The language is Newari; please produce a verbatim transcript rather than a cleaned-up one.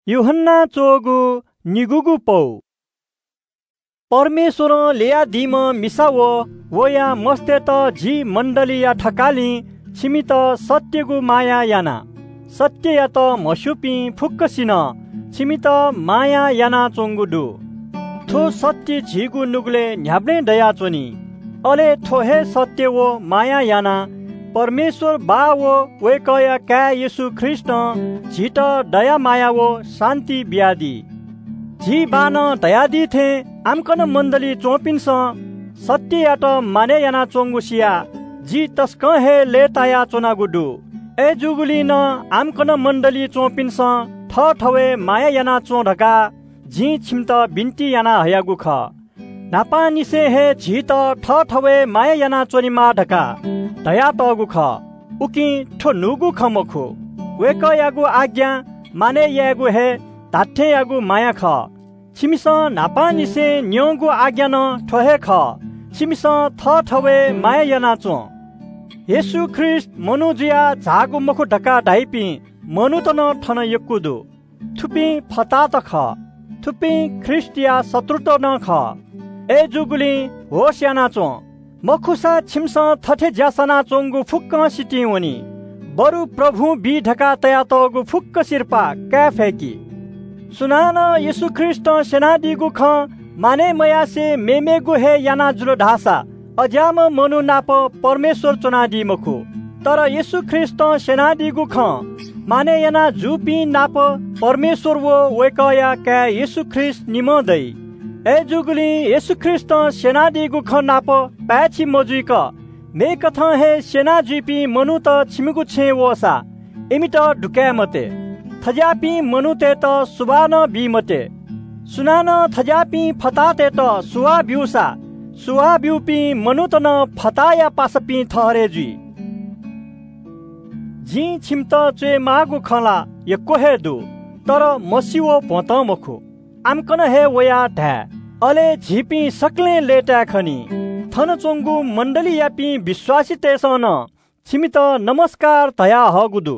यूहन्ना च्वःगु निगूगु पौ। परमेश्वरं ल्ययादीम्ह मिसा व वया मस्तय्त जि मण्डलीया थकालिं छिमित सत्यगु माया याना। सत्ययात म्हस्यूपिं फुक्कसिनं छिमित माया यानाच्वंगु दु। थ्व सत्य झीगु नुगलय् न्ह्याबलें दयाच्वनी। अले थ्व हे सत्य व माया यानाः परमेश्वर बाः व वय्कःया काय् येशू ख्रीष्टं झीत दया माया व शान्ति बियादी। झी बाःनं धयादी थें आम्कन मण्डलीइ च्वंपिन्सं सत्ययात मानय् यानाच्वंगु सियाः जि तसकं हे लय्तायाच्वनागु दु। अय्जूगुलिं नं आम्कन मण्डलीइ च्वंपिन्सं थःथवय् माया यानाच्वँ धकाः जिं छिमित बिन्ति याना हयागु खः। न्हापांनिसें हे झीत थःथवय् माया यानाच्वनेमाः धकाः धयातःगु खः। उकिं थ्व न्हूगु खँ मखु, वय्कःयागु आज्ञा मानय् यायेगु हे धात्थेंयागु माया खः। छिमिसं न्हापांनिसें न्यंगु आज्ञा नं थ्व हे खः, छिमिसं थःथवय् माया यानाच्वँ। येशू ख्रीष्ट मनू जुयाः झाःगु मखु धकाः धाइपिं मनूत नं थन यक्व दु। थुपिं फतात खः। थुपिं ख्रीष्टया शत्रुत नं खः। अय्जूगुलिं होश यानाच्वँ, मखुसा छिमिसं थथे ज्या सनाच्वंगु फुक्कं सितिं वनी। बरु प्रभुं बी धकाः तयातःगु फुक्क सिरपाः काये फय्कि। सुनानं येशू ख्रीष्टं स्यनादीगु खँ मानय् मयासें मेमेगु हे याना जुल धाःसा अज्याःम्ह मनू नाप परमेश्वर च्वनादी मखु। तर येशू ख्रीष्टं स्यनादीगु खँ मानय् याना जूपिं नाप परमेश्वर व वय्कःया काय् येशू ख्रीष्ट निम्ह दइ। अय्जूगुलिं येशू ख्रीष्टं स्यनादीगु खँ नाप पाय्छि मजुइक मेकथं हे स्यना जुइपिं मनूत छिमिगु छेँय् वःसा इमित दुकाये मते। थज्याःपिं मनूतय्त सुभाय् नं बी मते। सुनानं थज्याःपिं फताहातय्त सुभाय् ब्यूसा, सुभाय् ब्यूपिं मनूत नं फताहाया पासापिं ठहरय् जुइ। जिं छिमित च्वयेमाःगु खँ ला यक्व हे दु, तर मसि व भ्वंतं मखु। आम्कन हे वयाः धाये, अले झीपिं सकलें लय्ताय् खनी। थन च्वंगु मण्डलीयापिं विश्वासीतय्सं नं छिमित नमस्कार धयाहःगु दु।